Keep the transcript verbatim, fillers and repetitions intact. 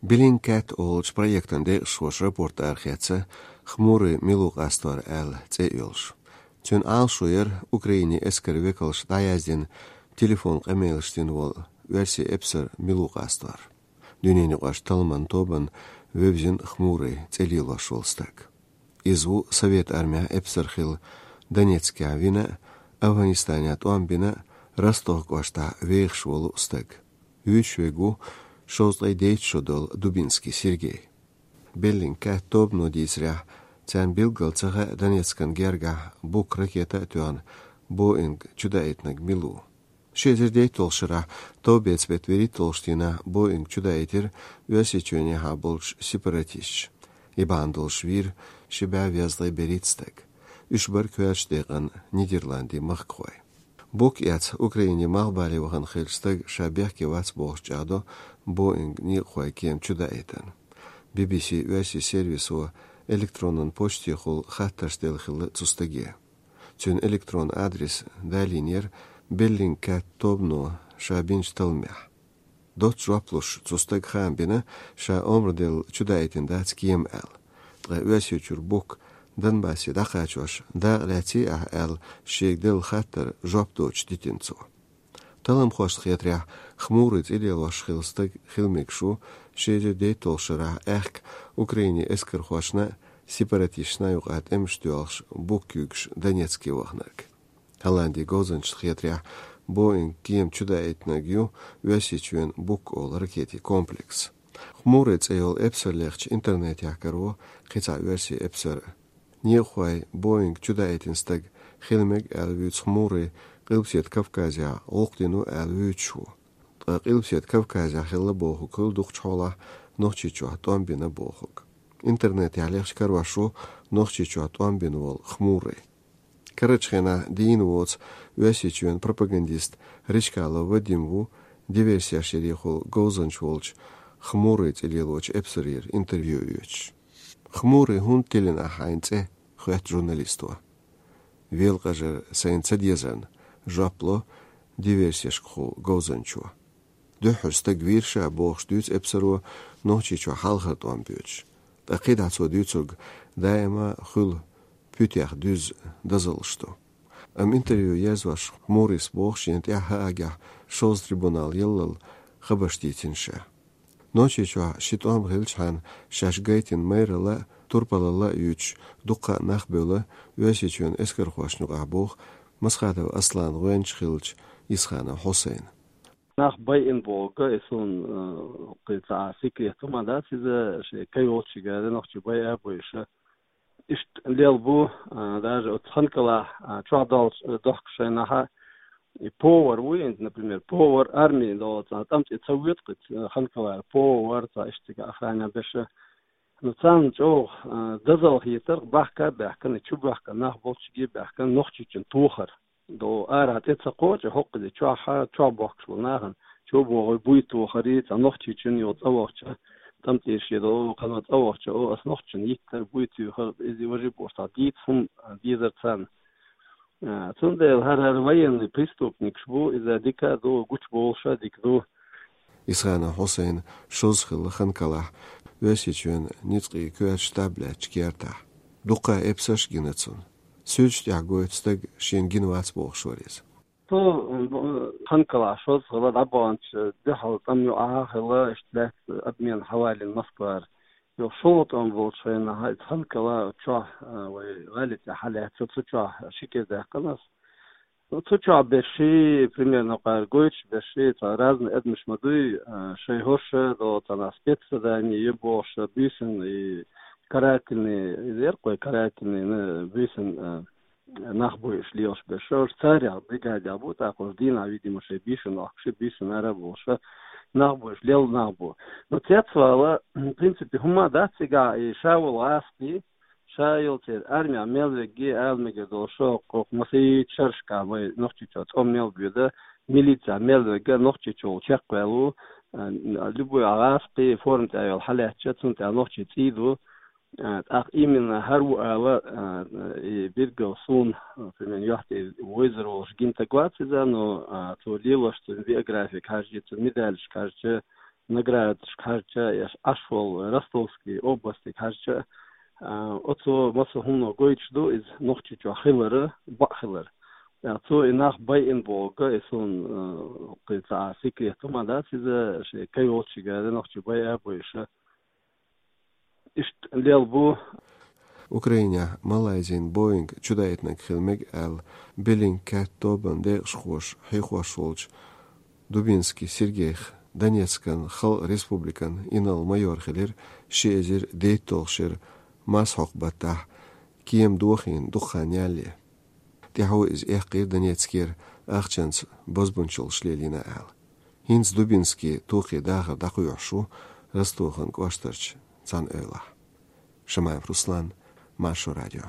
Bellingcat олучу проектан декъашхоша рапорт арахецна, Хмурый мила ву къастор аьлла цӀе йолуш. Цуьнан Ӏалашо яра Украинин эскаран векалша дӀаяздина телефон къамелаш дина волу оьрсийн эпсар мила ву къастор. Дуьненаюкъарчу талламан тобанна вевзина Хмурый цӀе лелош волу стаг. Иза ву Совет Армехь эпсар хилла, Донецкехь вина а, Афганистанехь тӀом бина а, Ростов кӀоштахь вехаш волу стаг. Вуьйцуш верг ву шовзткъе дейтта шо долу Дубинский Сергей. Bellingcat тобано дийцарехь, царна билггал ца хаьа Донецкан гергахь Бук ракета а тоьхна, Боинг чудаийтинарг мила ву. Ши эзар дейтталгӀачу шарахь товбеца беттан вуьрхӀитталгӀачу дийнахь Боинг чудаийтира Оьрсийчоьнехьа болчу сепаратисташа. И бахьана долуш вийра ши бӀе везткъе берхӀитта стаг. Уьш бара коьртачу декъана Нидерландийн махкахой. Бук эцна Украинин малхбале вахана хиллачу стага ша бехке вац бохуш чӀагӀдо Боинг некъахойн кема чудаийтарна. Би-би-си оьрсийн сервисо электронан почтехула хаттарш делла хилла цу стаге. Цуьнан электрон адрес далийнера Bellingcat тобано ша бинчу талламехь. Доцца жоп луш, цу стага хаам бина, ша омра делла чудаийтина дац кема аьлла. Ткъа Оьрсийчуьра Бук Донбассе дӀакхачош дакъа лаьцний ахь аьлла, шега делла хаттарна жоп доцуш дитина цо. Талламхошна хетарехь, Хмурый цӀе лелош хилла стаг хила мегаш ву ши эзар дейтталгӀачу шарахь аьхка Украинин эскархошна а, сепаратисташна а юкъахь тӀемаш тоьлхуш Бук куьйгаш Донецке ваханарг. Голландин говзанчашна хетарехь, Боинг кема чудаийтинарг ю Оьрсийчоьнан Бук олу ракетийн комплекс. Хмурый цӀе йолу эпсар лехча интернетехь каро кхин цхьа оьрсийн эпсар. Некъахой Боинг чудаийтина стаг хила мега аьлла вуьйцу Хмурый Къилбаседа Кавказехь гӀуллакх дина ву аьлла вуьйцуш ву. Ткъа Къилбаседа Кавказехь хилла бохург хуьлу дукхачу хьолахь Нохчийчохь тӀом бина бохург. Интернетехь лехча карош ву Нохчийчохь тӀом бина волу Хмурый. Карарчу хенахь дийна воцу Оьрсийчоьнан пропагандист Речкалов Вадим ву диверсеш ярехула говзанча волчу Хмурый цӀе лелочу эпсарера интервью оьцуш. «Хмурый, хӀунда тиллина ахь хьайн цӀе?» — хоьтту журналисто. «Велакъажар сайна ца дезарна», — жоп ло диверсешкаху говзанчо. Дуьххьара стаг вийра ша, бохуш дуьйцу эпсаро Нохчийчохь хьалхара тӀом боьдуш. Ткъа кхидӀа цо дуьйцург даима хуьлу пуьтех дуьззу дозаллаш ду. Амма интервью езош Хмурыйс боху шена тӀехь хӀа агӀехь шозза трибунал яллал хабарш дийцина ша. Нохчийчохь ши тӀом хилчхьана шаьш гайтина майралла а, турпалалла а юьйцуш дуккха а нах бевлла Оьрсийчоьнан эскархошна юкъахь, боху Масхадов Асланан гӀоьнча хиллачу Исханов Хьусайна. Нах байина бохург, и суна, э, кхин цхьа секрет хӀума дац иза, шайн кайолчигара нохчий байа а бойуша. Иштта лел бу, а, даже оцу Ханкалахь, а, чохь долчу, э, дохкуш шайнахьа, и повар ву, например, повар армии долу цхьа тӀамца ца вуьту кхуьца, э, Ханкалара повар, цхьа иштта цига охрана берша. Ну, царна чӀогӀа, а, дозалла хетарх, бахка а баьхкина, чу баьхкина, нах болчуьнга а баьхкина, Нохчийчун тохар. До ара тӀе ца кхочу, хӀокхузе чохь, чохь бохкуш болу нахана, чо бохуй буй тохарий, цхьа Нохчийчун йолу цӀа вахча, тӀамтӀе шен до, кхана цӀа вахча, о, ас Нохчийчун йиттар буй туьйхар, иза важи бохуш, цхьа дийца хӀума дезар царна. А, цундела хӀара-хӀара военный преступникаш бу, иза дика а ду, гучубовлуша а дика ду. Исханов Хьусайн шозза хилла Ханкалахь, Оьрсийчоьнан ницкъийн коьртачу штаб лаьттачу кертахь. Дуккха а эпсарш а гина цунна. Суьрташ тӀехь гойту стаг шена гина вац бохуш вара иза. Цо, м, Ханкалахь шозза хилла, дӀабаханчу дуьхьал тӀам юкъахь а хилла, иштта лаьцна обмен хьавалийна Москвара. Йо, шолгӀа тӀом болчу хенахь, иза Ханкала чохь, а, вай гӀали тӀе хьалаьцна, цу чохь ши кӀира даьккхина ас. Ну, цу чохь берш ши, примерно, кхара гойтуш берш ши, цхьа разный адамаш ма дуй, а, шайн хӀорш а долу цхьана спецзадание ю бохуш, буьйсанна и карательный, иза яра кхой карательный, ну, буьйсанна, а, нах бу уьш лелаш берш. Уьш царех, бригадех бу, тӀаккха уьш дийнахь, видимо, шайн буьйсанна охкуш, буьйсанна ара а болуш, нах бу уьш, лелла нах бу. Ну, цецвала, в принципе, хӀума дац цигахь, и ша волу гӀазкхий, ша йолу церан армехь мел верг а ала мегар долуш, хӀокху массийта шерашкахь вай Нохчийчохь цӀа мел боьду, милицехь мел верг а Нохчийчохь чекхваьлла ву, а, любой гӀазкхий форма тӀехь йолу хьалаьцча, цунна тӀехь нохчийн цӀий ду. А, тӀаккха именно хӀара ву ала, а, и билггал суна, а, примерно, юьхь тӀе вевзар волуш гина стаг вац иза, но, а, цо лелош, цуьнан биографига хьаьжча, цуьнан медалашка хьаьжча, наградашка хьежача, я Ӏаш волу Ростовский областига хьежача, а, оцо массо а хӀума гойтуш ду иза Нохчийчохь хилар, бакъ хилар. Ткъа цо и нах байина бохург, и суна, а, кхин цхьа секрет ма дац иза, шен кхин йолчу гара нохчий байа а бойша. Иштта лелла бу. Украинехь Малайзин Боинг чудайтинарг хила мега аьлла, Беллингкэт тобанан декъашхоша хьехош волчу Дубинский Сергейх Донецкан Халкъан Республикан инарла-майор хилира ши эзар дейтталгӀачу шеран мас хьокху баттахь, кема дохийна дукха хан ялале. ТӀаьхьо иза эккхийра Донецкера, ахчанца бозбунчаллаш лелийна аьлла. ХӀинца Дубинский тохе дахар дӀакхоьхьуш ву Ростован кӀоштарчу цхьана эвлахь. Шамаев Руслан, Маршо радио.